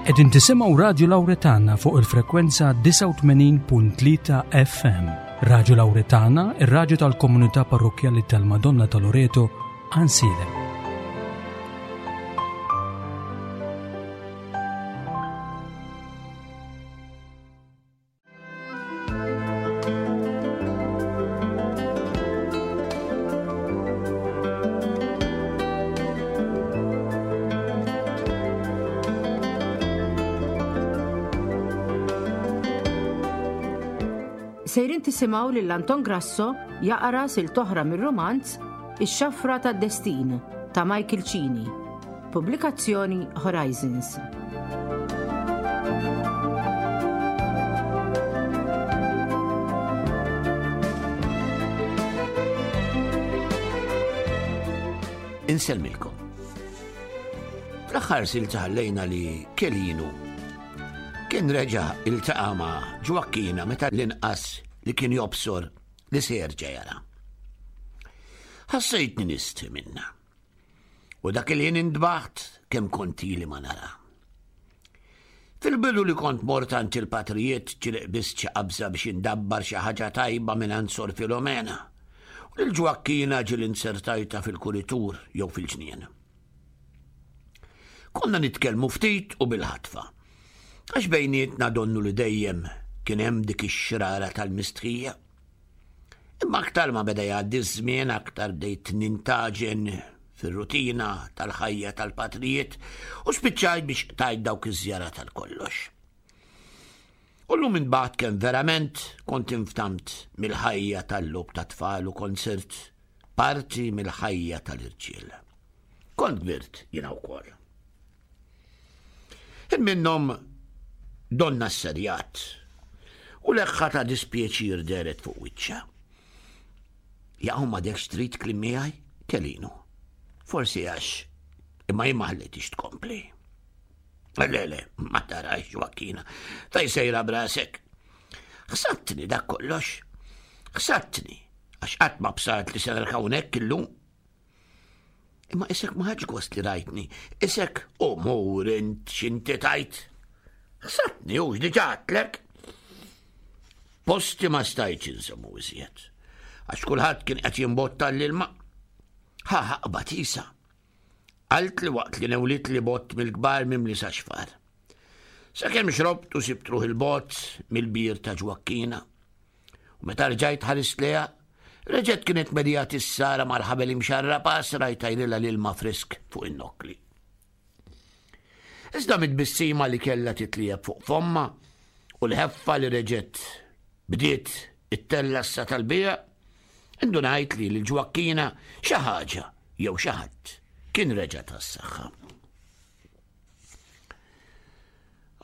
Qegħdin tisimgħu Radju Lawretana fuq il-frekwenza 89.3 FM. Radju Lawretana, ir-radju tal-komunità parrokkjali tal-Madonna ta' Loreto, Ansilem. Sejrin tisimgħu lil Anton Grasso jaqra sil toħra mir-romanz Ix-Xafra tad-Destin ta' Michael Cini. Pubblikazzjoni Horizons. Insellmilkom. Fl-aħħar silta ħallejna li Kelinu kien reġa' iltaqa' ma' Ġwakkina meta l-inqas li kien jobsor li se jerġa' jara. Ħassejtni nistħi minna. U dak il-ħin indbaħt kemm kont ili ma nara. Fil-bidu li kont mort għand il-patrijiet ġieli qbiżt xi qabża biex indabbar xi ħaġa tajba minn Sor Filomena. U lil Ġwakkina ġieli nsertajta fil-kuritur jew fil-ġnien. Konna nitkellmu ftit u bil-ħatfa. Għax bejnietna donnu li dejjem kien hemm dik ix-xrara tal-mistħija. Imma aktar ma beda jgħaddi ż-żmien aktar bdejt nintaġen fir-rutina tal-ħajja tal-patrijiet u spiċċajt biex qtajt dawk iż-żjarat għal kollox. U llum imbagħad kemm verament kont inftamt mill-ħajja tal-logħob tat-tfal u kont sirt parti mill-ħajja tal-irġiel. Kont kbirt jiena wkoll. Ħin minnhom donna sserjat u leħħa ta' dispjaċir dehret fuq wiċċha. Jaqgħu m'għadekx trid kliem miegħi, Kelinu. Forsi għax imma jien ma ħallejtix tkompli. Le, le, ma tarax Joaquina, fej sejra brasek. Ħsabtni dak kollox. Ħsabtni, għax qatt ma bsart li se hawnhekk illum. Imma isek ma ħadx gost li rajtni. Isek u mur int x'inti tajt. Ħsabtni u x'diġà għadtlek. Posti ma stajtx insemmu iżjed. Għax kulħadd kien qed jimbotta l-ilma. Ħa ħaqba tisa. Għalt li waqt li newlit li bott mill-kbar mimli sa xfar. Sakemm xrobt u sibt ruħ il-bott mill-bir ta' ġwakkina. U meta rġajt ħarist lejha, reġgħet kienet medija tissara mal-ħabel imxarrab għasra jtajrilha l-ilma frisk fuq in-nokkli. Iżda mit-tbissima li kellha titlieb fuq fomma u l-ħeffa li reġgħet bdiet it-tellassa tal-bija, indunajt li l-ġwakkina xi ħaġa jew xi ħadd kien reġa' tas-saħħa.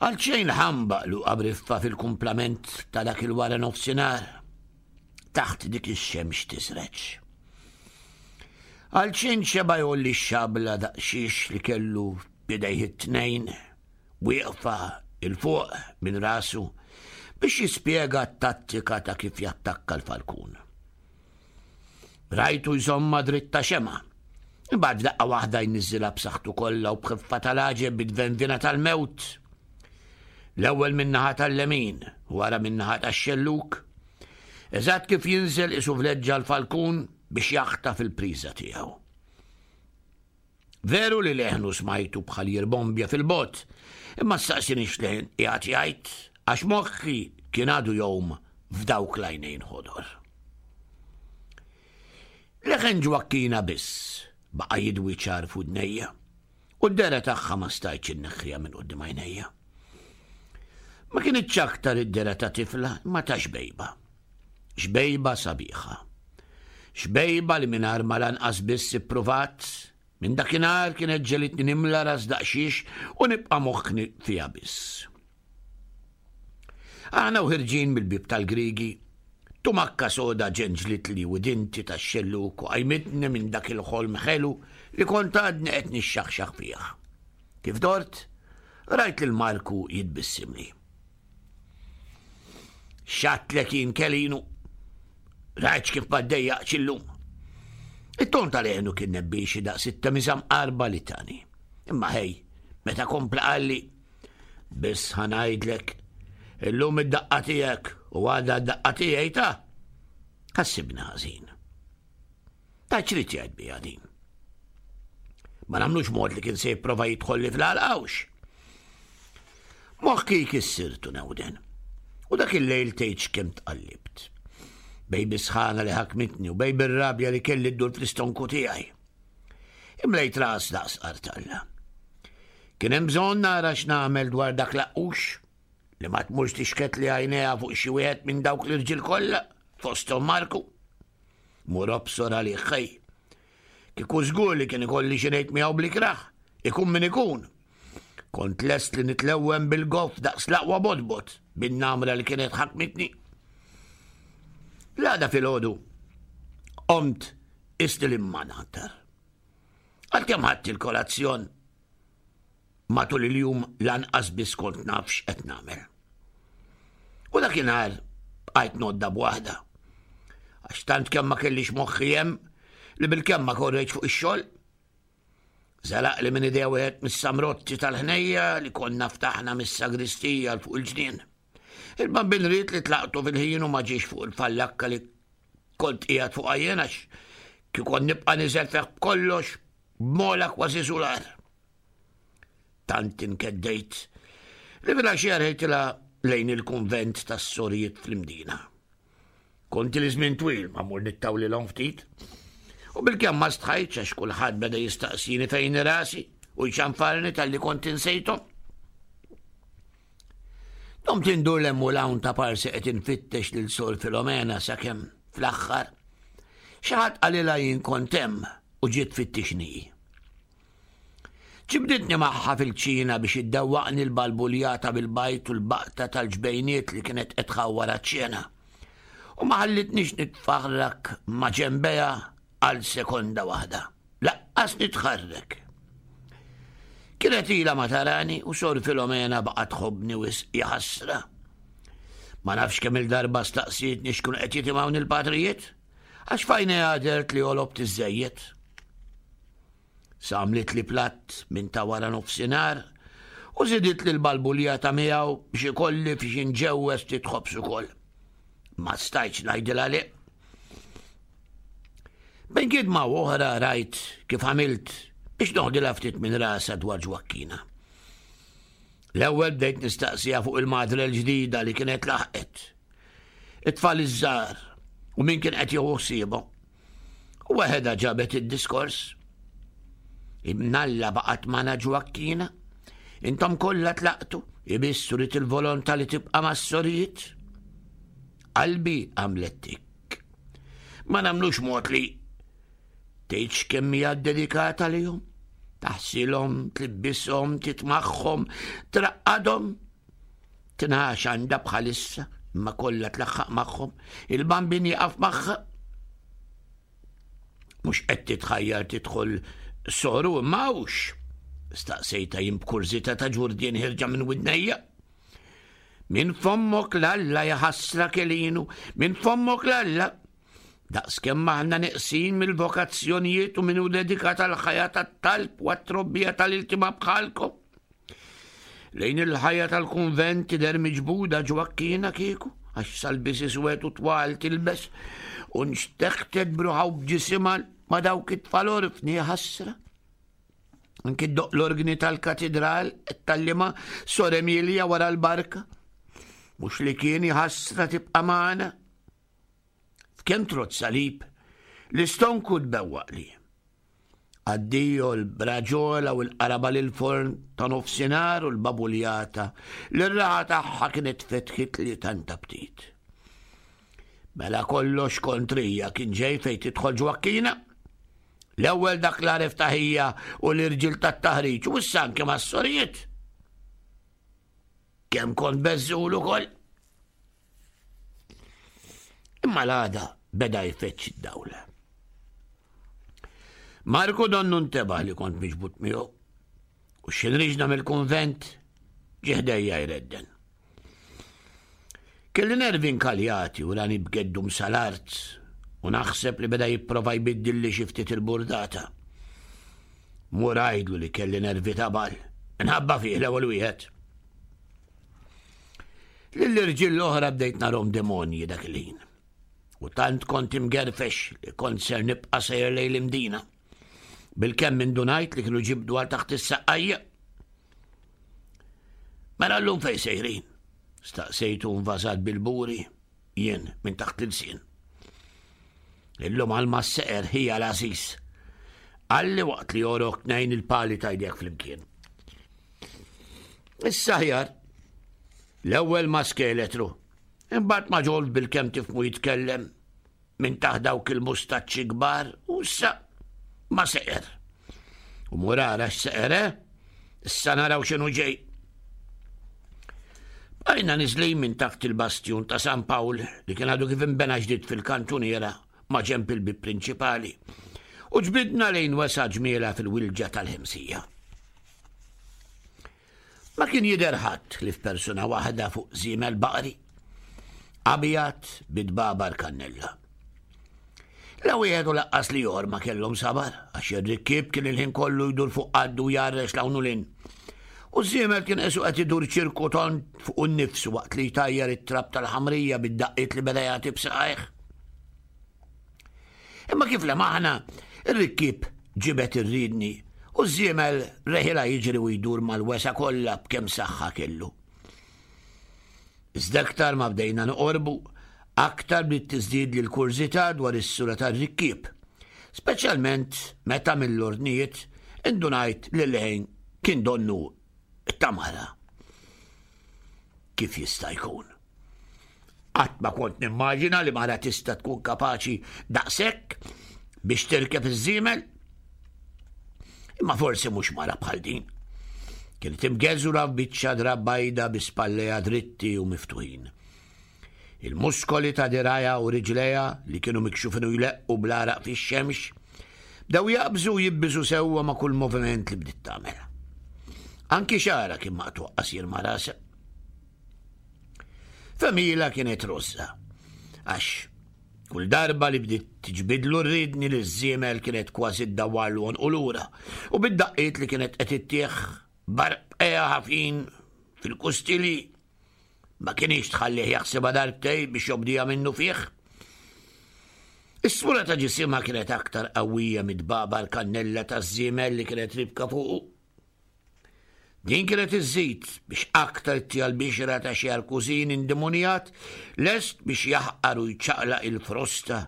Għalxejn ħambaq Luqa Briffa fil-kumplament ta' dak il-wara nofsinhar taħt dik ix-xemx tisreġ. Għalxejn xeba' jgħolli x-xabla daqsxiex li kellu b'idejh it-tnejn wieqfa 'il fuq minn rasu biex jispjega t-tattika ta' kif jattakka l-falkun. Rajtu jżommha dritta xemgħa. Imbagħad f'daqqa waħda jniżżilha b'saħħtu kollha u b'ħeffa tal-għaġeb bit-tvenvina tal-mewt. L-ewwel min-naħa tal-lemin, wara min-naħa tax-xellug. Eżatt kif jinżel isu vleġġa l-falkun biex jaħtaf il-priża tiegħu. Veru li leħnu smajtu bħal jirbombja fil-bogħod, imma staqsinix x'leħen qiegħed jgħid għax moħħi kien għadu jgħum f'dawk l-għajnejn ħodor. Leħen Ġwakkina biss baqa' jidwi ċar f'widnejja u d-dehra tagħha ma stajtx inneħħiha minn quddiem għajnejja. Ma kinitx aktar id-dehra ta' tifla imma ta' xbejba. Xbejba sabiħa. Xbejba li mingħajr ma lanqas biss ippruvat, minn dakinhar kienet ġelitni nimla ras daqsxiex u nibqa' moħħni fiha biss. Aħna u ħirġin mill-bieb tal-Griegi, tumakka soda ġenġlitli widinti tax-xellug u qajmitni minn dak il-ħolm ħelu li kont għadni qed nixxaħxaħ fih. Kif dort, rajt lil Marku jitbissimli. X'għadtlek jien Kelinu? Rajtx kif ma ddejjaqx illum. It-ton tal-għenu kien nebbixi daqs it-temiża mqarba li tani. Imma ħej, meta kompla qalli, Biss ħa ngħidlek, illum id-daqqa tiegħek u għada d-daqqa tiegħi ta' ħassibna ħażin. Ta' ċrid jgħid bija din. Ma nagħmlux mod li kien se jipprova jidħol li fl-għalqawx. Moħħi kissirtu newden. U dak il-lejl tgħidx kemm tqallibt. Bej bisħana li ħakmitni u bej bir-rabja li kelli ddur fl-istonku tiegħi. Imlejt ras daqs qartalla. Kien hemm bżonn nara x'nagħmel dwar dak laqqux li ma tmurx tixket li għajnejha fuq xi wieħed minn dawk l-irġiel kollha fosthom Marku. Mur obsor għalih ħej. Kieku żgur li kien ikolli xi ngħid miegħu bl-ikrah, ikun min ikun. Kont lest li nitlewwem bil-goff daqs l-aqwa bodbod bin-namra li kienet ħakmitni. L-għada filgħodu qomt isni li ma naqtar. Għalkemm ħadt il-kolazzjon matul il-jum lanqas biss kont naf x'qed nagħmel. U dakinhar bqajt nodda b'waħda. Għax tant kemm ma kellix moħħi hemm li bil-kemm ma korreġ fuq ix-xogħol. Zalaq li minn idea wieħed mis-samrotti tal-ħnejja li konna ftaħna mis-sagristija l fuq il-ġnien. Il-bambin ried li tlaqtu fil-ħin u ma ġiex fuq il-fallakka li kont qiegħed fuq jien għax kikon nibqa' niżel feħ b'kollox b'mola kważi sular. Tant inkeddejt li filgħaxija rħejtilha lejn il-kunvent tas-sorijiet fl-Imdina. Kont li żmien twil ma mur nittawlilhom ftit. U bilkemm ma stħajtx għax kulħadd beda jistaqsini fejn rasi u jċanfarni talli kont insejthom. Domt indur l-hemm u l-hawn ta' parsi qed infittex lil Sor Filomena sakemm fl-aħħar xi ħadd qalilha jien kont hemm u ġiet tfittixni. Ġibditni magħha fil-kċina biex iddewwaqni l-balbuljata bil-bajd u l-baqta tal-ġbejniet li kienet qed tħawwar għaċ-ċena. U ma ħallitnix nitfaħrak ma' ġenbejha għal sekonda waħda. Laqqas nitħarrek. Kienet ilha ma tarani u Sor Filomena baqgħet tħobbni wisq jaħasra. Ma nafx kemm il-darba staqsietni x'kienu qed jitimgħuni l-patrijiet, għax f'għajnejha dehrt li għolobt iżżejjed. Sa għamlitli platt minn ta' wara nofsinhar u żiditli l-balbuljata miegħu biex ikolli fiex inġewweż ftit ħobż ukoll. Ma stajtx ngħidilha le. Bejn gidma u oħra rajt kif għamilt biex noħdilha ftit minn rasha dwar Ġwakkina. L-ewwel bdejt nistaqsiha fuq il-madre l-ġdida li kienet laħqet. It-tfal iż-żgħar u min kien qed jieħu ħsiebhom. U waħedha ġabet id-diskors. Imnalla baqgħet magħna Ġwakkina. Intom kollha tlaqtu, ibissu rid il-volontà li tibqa' mas-sorijiet. Qalbi għamlet tik. Ma nagħmlux mod li tgħidx kemm hija dedikata lihom. Taħsilhom, tlibbishom, titmagħhom, traqqadhom. 12 għandha bħalissa, imma kollha tlaħħaq magħhom. Il-bambin jaqaf magħha. Mhux qed titħajjar tidħol soru imma hawnx. Staqsejta jien b'kurżità ta' ġurdien ħirġa minn widnejja. Minn fommok l-Alla jaħasra kelinu, minn fommok l-Alla. Daqs kemm aħna neqsin mill-vokazzjonijiet u minnu dedikat għal ħajja tat-talb u għat-trobbija tal-iltima bħalkom. Lejn il-ħajja tal-kunvent tidher miġbuda Ġwakkina kieku, għax salbis iswed u twal tilbes, u nxteħtet bruħa u b'ġisimha ma' dawk it-tfal orfni ħasra. Anki doq l-orgni tal-katedral qed tallima Sor Emilia wara l-barka. Mhux li kien ħasra tibqa' magħna. F'kemm trott salib, l-istonku tbewwaqli. Addio l-braġola u l-qaraba lill-forn ta' nofsinhar u l-babuljata li r-raħa tagħha kienet fetħitli tant aptit. Mela kollox kontrija kien ġej fejn tidħol Ġwakkina. L-ewwel dak l-għaref ta' ħija u l-irġiel tat-taħriġ u issa anke mas-sorijiet. Kemm kont beżżul ukoll. Imma l-għada beda jfeċ id-dawl. Marku donnu ntebaħ li kont miġbut miegħu u xinriġna mill-kunvent ġieħdejja jredden. Kelli nervi nkaljati u rani b'geddum sal-art u naħseb li beda jipprova jbiddilli xi ftit il-burdata. Mur għidlu li kelli nervi tabal, minħabba fih l-ewwel wieħed. Lill-irġiel l-oħra bdejt narhom demonji dak il-ħin. U tant kont imgerfex li kont ser nibqa' sejjer lejn l-Imdina. Bilkemm indunajt li kienu ġibdu għal taħt is-saqqajja. Mela llum fejn sejrin? Staqsejtu nvażat bil-buri, jien minn taħt l-ilsien. Illum għal ma seqer ħija l-għażiż. Qalli waqt li jorok tnejn il-pali tajdek flimkien. Issa ħjar. L-ewwel ma skeletru, imbagħad ma ġolt bil-kemm tifmu jitkellem minn taħt dawk il-mustaċċi kbar u issa ma seqer. U murara x'seqer, eh? Issa naraw x'inhu ġej. Bqajna niżlin minn taħt il-bastjun ta' San Pawl li kien għadu kif inbena ġdid fil-kantuniera ma' ġenb il-bib prinċipali u ġbidna lejn wesa ġmiela fil-wilġa tal-ħemsija. Ma kien jidher ħadd li f'persuna waħda fuq żiemel baqri, abjad bid-babar kannella. La wieħed u laqqas li jor ma kellhom sabar, għax ir-rikkieb kien il-ħin kollu jdur fuq qaddu jarrex l u lin. U żiemel kien qisu qed idur ċirku tont fuq innifsu waqt li jtajjar it-trab tal-ħamrija bid-daqqiet li beda jagħti b'saqajh. Imma kif lemaħna, ir-rikkieb ġibed ir-riedni u ż-żiemel reħilha jiġri u jdur mal-wesgħa kollha b'kemm saħħa kellu. Iżda aktar ma bdejna noqorbu, aktar bdiet tiżdied li l-kurżità dwar is-sura tar-rikkieb, speċjalment meta mill-ordnijiet indunajt li l-leħen kien donnu ta' mara. Kif jista' jkun? Qatt ma kont nimmaġina li mara tista' tkun kapaċi daqshekk biex tirkeb iż-żiemel. Imma forsi mhux mara bħal din. Kienet imgeżura f'biċċa drab bajda bi spallejha dritti u miftuħin. Il-muskoli ta' dirajha u riġlejha li kienu mikxufin u jleqqu bl-għaraq fix-xemx bdew jaqbżu u jibbiżu sewwa ma' kull moviment li bdiet tagħmel. Anki xagħarha kien maqtuq qasir ma' rasha. Femila kienet rossa, għax kull darba li bdiet tiġbidlu r-ridni li ż-żiemel kienet kważi ddawwarlu għonqu lura u bid-daqqiet li kienet qed ittieħ b'għarqbqejha ħafin fil-kustili ma kienx tħallih jaħsibha darbtej biex jobdija minnu fih. Is-sura ta' ġisimha kienet aktar qawwija mid-babar kannella taż-żiemel li kienet ribka fuqu. Din kienet iżżid biex aktar ittiha l-bixra ta' xi arkużin indimunjat lest biex jaħqar u jċaqlaq il-frosta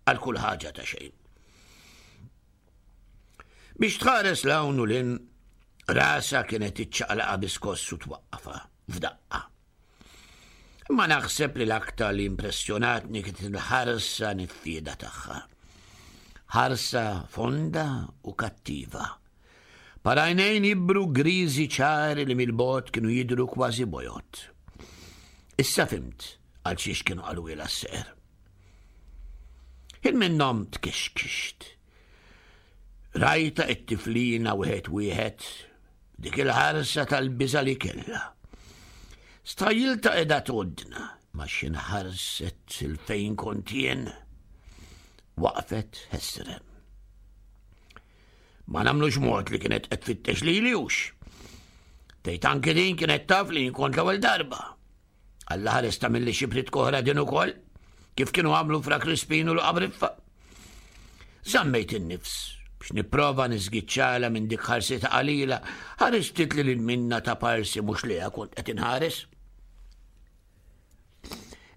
għal kull ħaġa ta' xejn. Biex tħares 'l hawn u 'l hinn, rasha kienet iċċaqlaqha bi skoss u twaqqafha f'daqqa. Imma naħseb li l-aktar li impressjonatni kienet il-ħarsa niffieda tagħha. Ħarsa fonda u kattiva. Parajnejn jibru griżi ċari li mill-bogħod kienu jidhru kważi bojod. Issa fimt għal xiex kienu qalwilha s-seħer. Ħin minnhom tkexkixt. Rajta it-tiflina wieħed wieħed Dik il-ħarsa tal-biża' li kellha. Stħajjiltha qiegħda tgħoddna, ma x'in ħarset il fejn kont jien. Waqfet ħesrem. Ma nagħmlux mod li kienet qed tfittex lili hux. Tgħid anki din kienet taf li jien kont l-ewwel darba. Alla ħares tagħmilli xi pritka oħra din ukoll, kif kienu għamlu fra Crispin u l-Qabriffa. Żammejt in-nifs biex nipprova niżgiċċala minn dik ħarsita qalila, ħaristit li lil minna ta' parsi mhux liha kont qed inħares.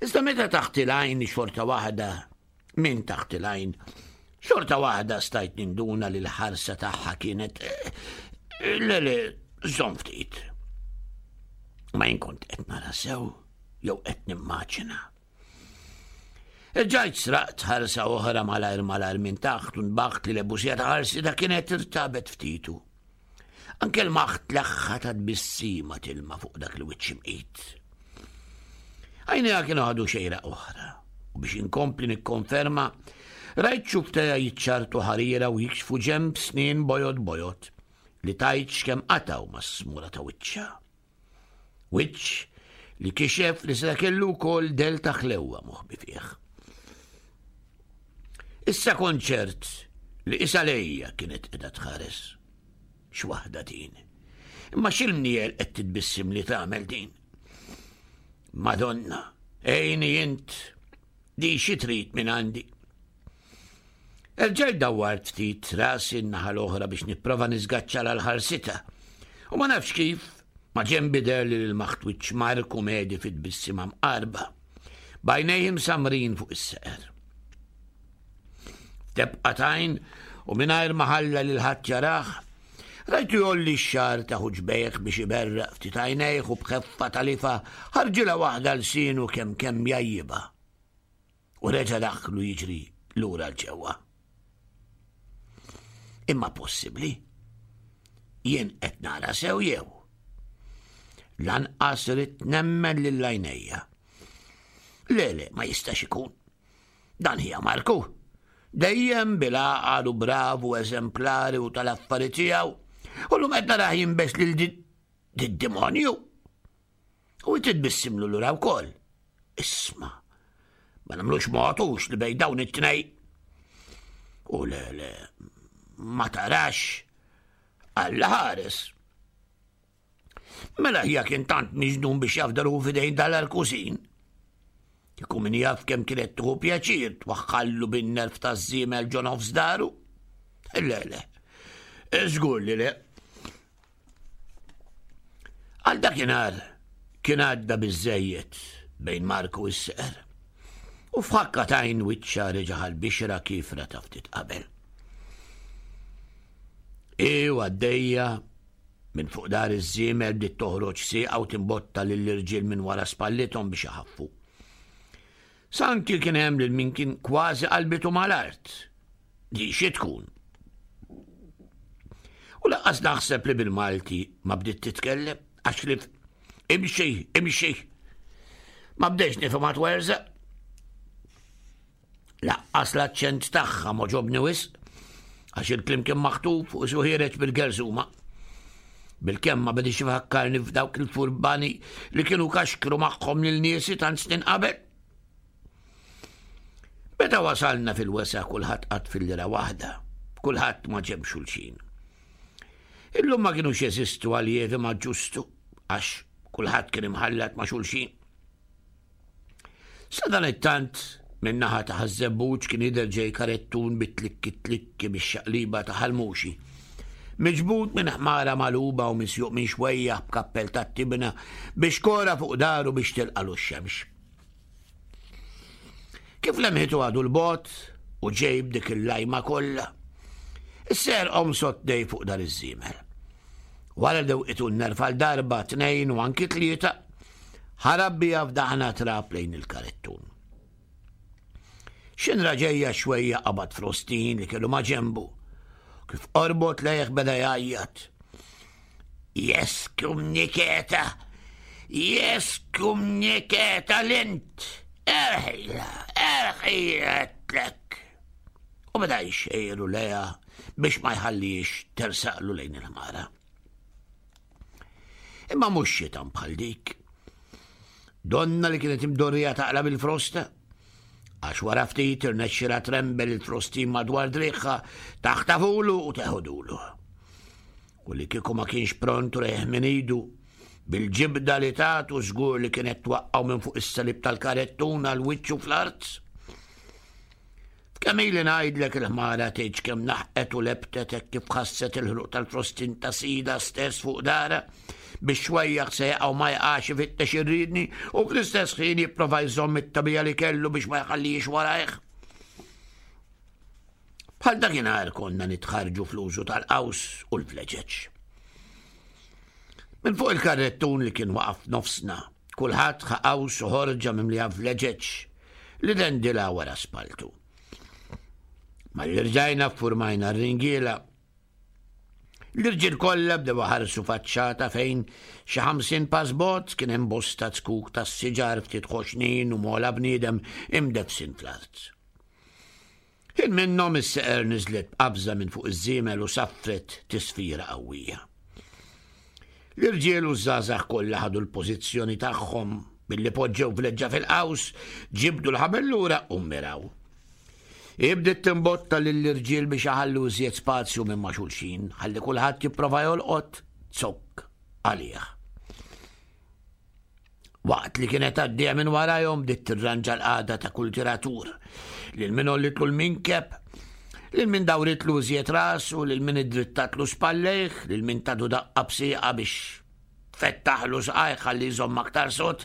Iżda meta taħt il-għajn xorta waħda Minn taħt il-għajn, xorta waħda stajt ninduna li l-ħarsa tagħha kienet eh, le le żomm ftit. Ma jien kont qed nara sew jew qed nimmaġina. Irġajt sraqt ħarsa oħra malajr malajr minn taħt u nbaħt li l-ebusija ta' ħarsi da kienet irtabet ftitu. Anke l-maħt leħħa ta' tbissima tilma fuq dak il-wiċċ imqit. Għajnejha kienu ħadu xejra oħra u biex inkompli nikkonferma rajt xufteja jiċċartu ħarira u jikxfu ġemb snien bojod bojod li tajt x'kemm qatgħu mas-smura ta' wiċċha. Wiċċ li kixef li seta' kellu wkoll del ta' ħlewwa moħbi fih. Issa kont ċert li isa lejja kienet qiegħda tħares. X'waħda din. Imma x'il-mniel qed titbissim li tagħmel din? Madonna, għini int, di xi trid minn għandi. Erġajt dawwart ftit rasi n-naħa l-oħra biex nipprova niżgaċċa l ħarsita. U ma nafx kif, ma ġembi der li l-maħtwiċ Marku medi fit-tbissima mqarba. Bajnejhim samrin fuq is-seqer. F'tebqa tajn u mingħajr ma ħalla lil ħadd jarah, rajtu jolli x-xagħar ta' ħuġbejh biex iberraq ftit għajnejh u b'ħeffa talifa ħarġilha waħda lsienu kemm kemm jgħajjibha. U reġa' daħlu jiġri lura l ġewwa. Imma possibbli? Jien qed nara sew jew? Lanqas ridt nemmen lil għajnejja. Le, le, ma jistax ikun. Dan hija Marku. Dejjem bil-għaqal u bravu eżemplari u tal-affari tiegħu. U l-lum qed narah jinbes lil d-demonju. U titbissimlu lura wkoll. Isma, ma nagħmlux motux li bejn dawn it-tnej. U le, le, ma tarax Alla ħares. Mela ħija kien tant miġnun biex jafdaru f'idejn dal-arkusin. Kieku min jaf kemm kienet tuħu pjaċir twaħħallu bin-nerf taż-żiemel ġo nofs daru. Le, le. Żgur li le. Għal dakinhar kien għadda biżejjed bejn Marku u s-seqer. U f'ħakka tajn wiċċa reġa' ħal-bixra kifra ta' ftit qabel. I għaddejja Minn fuq dar iż-żiemel bdiet toħroġ sieqa u timbotta lill-irġiel minn wara spallithom biex iħaffu. Sanki kien hemm lil min kien kważi qalbitu mal-art. Di xi tkun? U laqqas naħseb li bil-Malti ma bdiet titkellem għax li imxi, imxi. Ma bdejx nifhem għat Laqqas l-aċċent tagħha m'għoġobni wisq, għax il-kliem kien maħtuf u isu ħiereġ bil-gerżuma. Bilkemm ma bedix ifakkarni f'dawk il-furbani li kienu kaxkru magħhom lil niesi tant snin qabel. Meta wasalna fil-wesa kulħadd qatt fil-lira waħda, kulħadd ma ġemb xulxin. Illum ma kienux jeżistu għaljevi ma ġustu, għax kulħadd kien imħallat ma' xulxin. Sadanittant, min-naħa ta' Ħaż-Żebbuġ kien jidher ġej karettun bit-tlikki tlikki bix-xaqliba ta' Ħal Muxi. Miġbud minn ħmara magħluba u misjuq minn xwejjaħ b'kappell tat-tibna bi xkora fuq daru biex tilqalu x-xemx. Kif lemħitu għadu l-bogħod u ġej b'dik il-lajma kollha, is-ser qomsot dej fuq dar iż-żiemel. Wara dewqitu n-nerf għal darba, tnejn u anki tlieta, Ħarab biha f'daħna trab lejn il-karettun. Xinra ġejja xwejja qabad frostin li kellu ma' ġembu. Kif qorbot lejh beda jgħajjat. Jeskum niketa! Jeskum niketa l-int! Erħila, erħila tlek! U beda jxejru leja biex ma jħallix tersaqlu lejn il-ħmara. Imma mhux xitan bħal dik. Donna li kienet imdorrija taqla bil-frosta, għax wara ftit irnexxila trembel il-frostin madwar driħħa taħtafulu u teħodulu. U li kieku ma kienx pront reħ minn idu, bil-ġibda li tatu żgur li kienet twaqqgħu minn fuq is-salib tal-karettuna l-wiċċu fl-art. Kemm ili ngħidlek il-ħmara tgħidx kemm naħqet u lebtet hekk kif ħasset il-ħruq tal-frostin ta' sidha stess fuq darha, bix-xwejjaħ se jaqa' u ma jaqax ifittex ir-riedni u fl-istess ħin jipprova jżomm it-tagħbija li kellu biex ma jħallihiex warajh. Bħal dakinhar konna nitħarrġu fl-użu tal-qaws u l-vleġeġ. Minn fuq il-karrettun li kien waqaf nofsna, kulħadd ħa qaws u ħorġa mimlija vleġeġ li dendilha wara spaltu. Malli rġajna ffurmajna r-ringiela, l-irġiel kollha bdew iħarsu faċċata fejn xi 50 pass bogħod kien hemm bosta zkuk tas-siġar ftit ħoxnin u mola bniedem imdeffsin fl-art. Ħin minnhom is-seqer niżlet b'qabża minn fuq iż-żiemel u saffret tisfira qawwija. L-irġiel u ż-żgħażagħ kollha ħadu l-pożizzjoni tagħhom billi poġġew vleġġa fil-qaws, ġibdu l-ħabel lura u mmiraw. Hi bdiet timbotta lill-irġiel biex iħallu iżjed spazju minn ma' xulxin, ħalli kulħadd jipprova jolqot zokk għalih. Waqt li kienet għaddejja minn warajhom bdiet tirranġa l-qagħda ta' kull tiratur. Lil min għollitlu l-minkeb, lil min dawritlu iżjed rasu, lil min iddrittatlu spallejh, lil min tadu daqqa b'sieqa biex tfettaħlu saqajh ħalli jżomm aktar sod.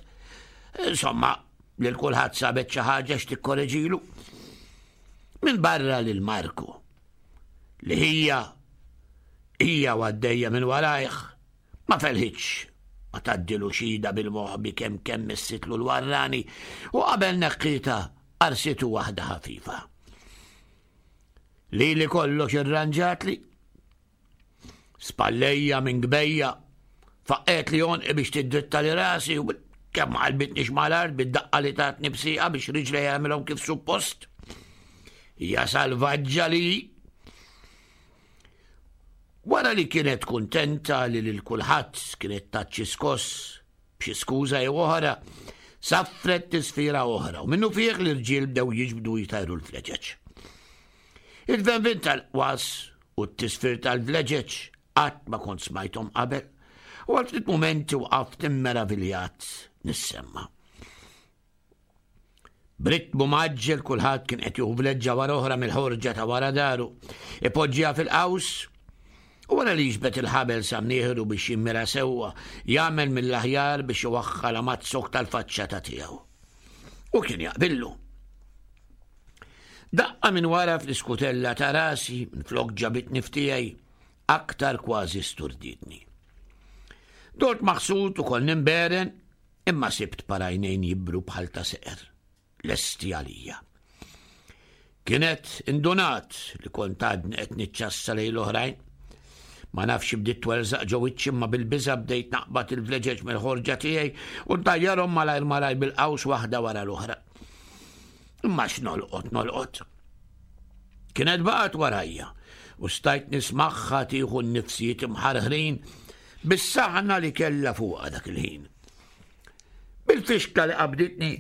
Insomma, lil kulħadd sabet xi ħaġa x'tikkoreġilu. Minn barra lil Marku, li hija hija għaddejja minn warajh, Ma felħitx ma tgħaddilu xida bil-moħbi kemm kemm missitlu l-warrani u qabel neħħietha qarsitu waħda ħafifa. Lili kollox irranġatli. Spallejja minn gbejja, faqqet li onqi biex tiddritta li rasi u kemm ma qalbitnix mal-art bid-daqqa li tatni bsieqa biex riġlejja jagħmilhom kif suppost. Hija salvaġġa li Wara li kienet kuntenta li lil kulħadd kienet tat xi skoss b'xi skuża jew oħra, saffret tisfira oħra u minnufih l-irġiel bdew jiġbdu jtajru l-vleġeġ. Il-venvin tal-qwas u t-tisfir tal-vleġeġ qatt ma kont smajthom qabel u għal ftit mumenti waqaft immeraviljat nissemma. B'ritmu mgħaġġel kulħadd kien qed jieħu vleġġa wara oħra mill-ħorġa ta' wara daru, ipoġġiha fil-qaws u wara li jiġbed il-ħabel sa mnieħru biex jimmira sewwa, jagħmel mill-aħjar biex iwaħħalha maz-zokk tal-faċċata tiegħu. U kien jaqbillu. Daqqa minn wara fl-iskutella ta' rasi, minflok ġabitni f'tiegħi, aktar kważi sturditni. Dort maħsud u kol nimberen, Imma sibt par għajnejn jibru bħal ta' seqer, lesti għalija. Kienet indunat li kont għadni qed niċċassa lejn l-oħrajn. Ma nafx bdiet twerżaq ġo wiċċi imma bil-biża' bdejt naqbad il-vleġeġ mill-ħorġa tiegħi u ntajjarhom malajr malajr bil-qaws waħda wara l-oħra. Imma x'nolqot nolqot. Kienet baqgħet warajja u stajt nismagħha tieħu n-nifsijiet imħarħrin bis-saħna li kellha fuqha dak il-ħin. Bil-fixkla li qabditni,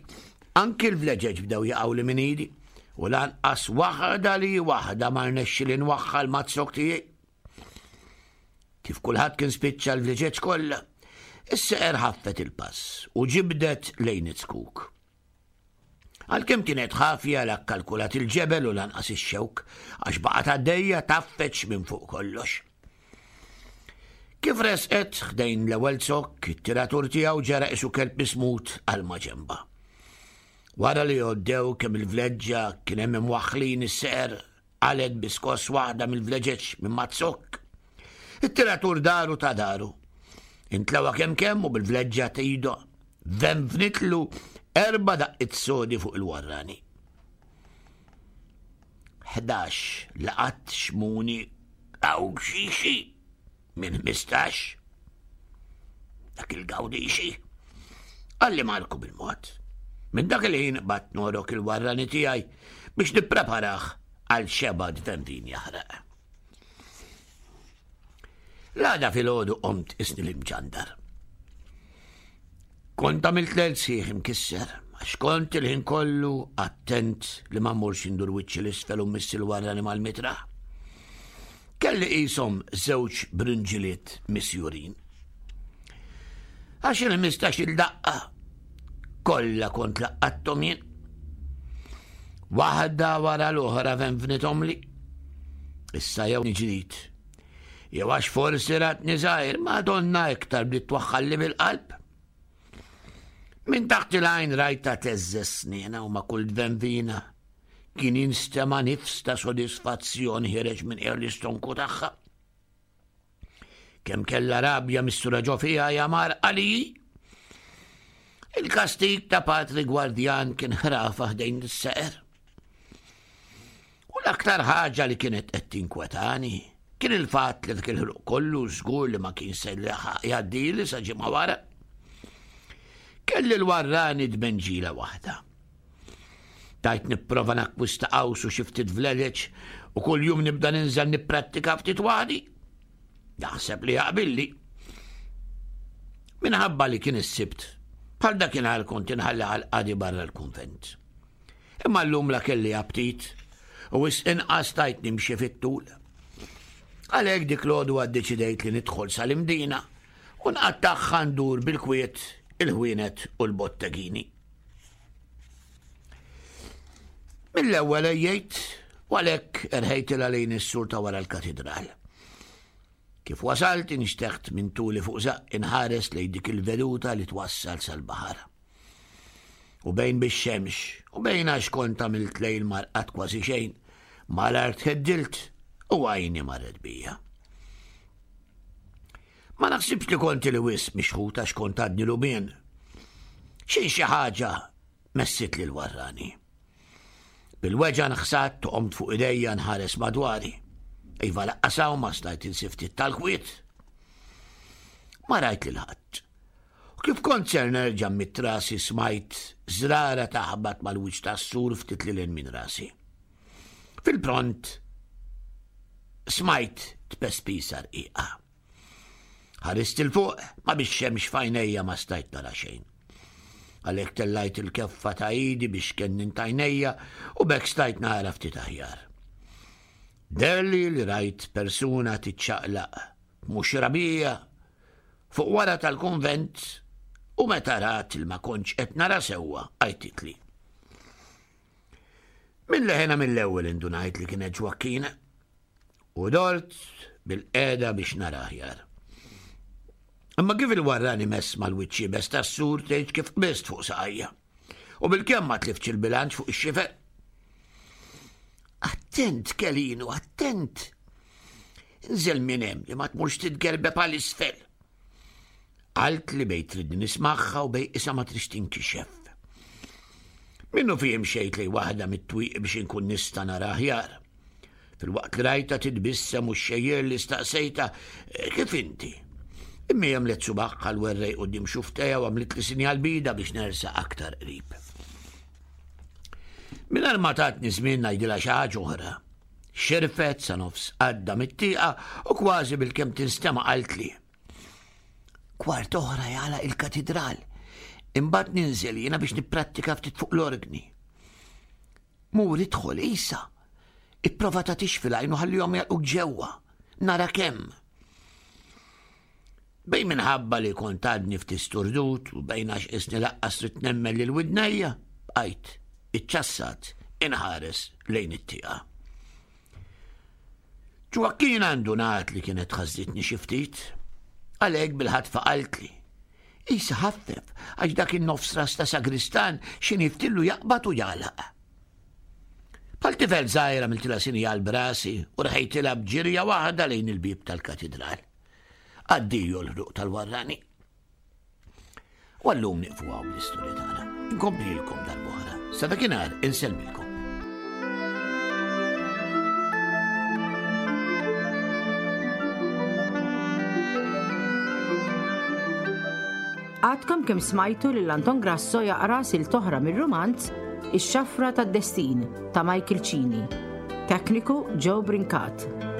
anki l-vleġeġ bdew jaqgħu minn idi u lanqas waħda li waħda ma rnexxi li nwaħħal mazzok tiegħi. Kif kulħadd kien spiċċa l-vleġeġ kollha, is-seqer ħaffet il-pass u ġibdet lejn it-skuk. Għalkemm kienet ħafja la kkalkulat il-ġebel u lanqas ix-xewk għax baqgħet għaddejja taffeċ minn fuq kollox. Kif resqet ħdejn l-ewwel zokk, it-tiratur tiegħu ġara qisu kelb mismut għal maġenba. Wara li għoddew kemm il-vleġġa kien hemm imwaħħlin is-seqer Qalgħet bi skoss waħda mill-vleġeġ minn maz-zokk. It-tiratur daru ta' daru. Intlewa kemm kemm u bil-vleġġa t'idu venvnitlu erba' daqqiet sodi fuq il-warrani. 11 laqat xmuni għaw xixi minn 15. Dak il-gawdixi. Għalli Marku bil-mod. Minn dak il-ħin bat norok il-warrani tiegħi biex nippreparah għal xeba dventin jaħraq. L-għada fil-ħodu qomt isni l-imġandar. Kont għamilt lejl sħiħ imkisser, għax kont il-ħin kollu attent li ma mmurx indur wiċċi l-isfel u mmiss il-warrani mal-mitraħ. Kelli qishom żewġ brinġiliet misjurin. Għax il-15-il daqqa kollha kont laqqatthom jien. Waħda wara l-oħra venvnithomli. Issa jew ġdid. Jew għax forsi ratni żgħir, Madonna iktar bdiet twaħħalli bil-qalb. Minn taħt il-għajn rajta teżżeż sniena u ma' kull dvenvina kien jinstema' nifs ta' sodisfazzjon ħireġ minn qiegħ l-istonku tagħha. Kemm kellha rabja mistura ġo fiha jamar għali. Il-kastig ta' patri gwardjan kien ħrafa ħdejn is-seqer. U l-aktar ħaġa li kienet qed tinkwetani kien il-fatt li dak il-ħluq kollu żgur li ma kien se jgħaddili sa ġimgħa wara. Kelli l-warrani dmenġila waħda. Tajt nipprova nakkwista qaws u xi ftit vledeċ u kuljum nibda ninżel nipprattika ftit waħdi. Naħseb li jaqbilli. Minħabba li kien is-Sibt, bħal dakinhar kont inħalli għal-qadi barra l-kunvent. Imma llum la kelli aptit u wisq inqas stajt nimxi fit-tul. Għalhekk dik l-għodwa ddeċidejt li nidħol sal-Imdina u nqattagħha ndur bil-kwiet il-ħwienet u l-bottegini. Mill-ewwel ejjejt u għalhekk erħejtilha lejn is-sur ta' wara l-katidral. Kif wasalt inxteħt minn tuli fuq żaqq inħares lejn dik il-veduta li twassal sal-baħar. U bejn bix-xemx u bejn għax kont għamilt lejl marqat kważi xejn, mal-art ħeddilt u għajni marret bija. Ma naħsibx li konti li wisq mixħut għax kont għadni lubien. Xejn xi ħaġa messit lil warrani. Bil-weġa nħsat u qomt fuq idejja nħares madwari. Iva laqqas hawn ma stajt insib ftit tal-kwiet. Ma rajt lil ħadd. U kif kont ser nerġa' mit rasi smajt żrara taħbat mal-wiċċ tas-sur ftit lil minn rasi. Fil-pront smajt tpespisa rqiqa. Ħarist 'il fuq, ma bix-xemx f'għajnejja ma stajt nara xejn. Għalhekk tellajt il-keffa ta' idi biex kennint għajnejja u b'hekk stajt nara ftit aħjar. Deherli li rajt persuna tiċċaqlaq mhux rabija fuq wara tal-kunvent u meta rat li ma kontx qed nara sewwa għajtitli. Minn leħena mill-ewwel indunajt li kienet Ġwakkina u dort bil-qeda biex nara aħjar. Imma kif il-warrani mess mal-wiċċ iebes tas-sur tgħid kif qbist fuq saqajja. U bil-kemm ma tliftx il-bilanċ fuq ix-xifer. Attent, Kelinu, attent! Inżel minn hemm li ma tmurx titgerbeb għal isfel. Qalt li bej tridni nismagħha u bej isa ma trix tinkixef. Minnu fih imxejt lej waħda mit-twieqi biex inkun nista' nara aħjar. Filwaqt li rajta titbissem u xxejjer li staqsejta eh, kif inti. Imma għamlet subaħħa l-werrej quddiem xuftejha u għamlet li sinjal bida biex nersa aktar qrib. Mingħajr ma tatni żmien ngħidilha xi ħaġa oħra. Xirfet sa nofs għadda mit-tieqa u kważi bil-kemm tinstema' qaltli. Kwart oħra jagħlaq il-katidral. Imbagħad ninżel jiena biex nipprattika ftit fuq l-orgni. Mur idħol isa. Ipprova tagħtix fil-għajn u ħallihom jalquk ġewwa. Nara kemm. Bejn minħabba li kont għadni ftit sturdut u bejn għax isni laqqas trid nemmen lil widnejja, bqajt iċċassat inħares lejn it-tieqa. Ġwakkin ndunat li kienet ħażżitni xi ftit. Għalhekk bil-ħatfa qaltli. Isa ħaffef għax dak in-nofs ras ta' sagristan xi niftillu jaqbad u jagħlaq. Bħal tifel żgħir għamiltilha sinjal b'rasi u rħejtilha b'ġirja waħda lejn il-bieb tal-katidral. Addio l-ħruq tal-warrani. U għallum nieqfu hawn bl-istorja tagħna. Inkomplilkom darb'oħra. Sa dakinhar insellmilkom. Għadkom kemm smajtu lil Anton Grasso jaqra silt oħra mir-rumanz Ix-Xafra tad-Destin ta' Michael Cini. Tekniku Joe Brincat.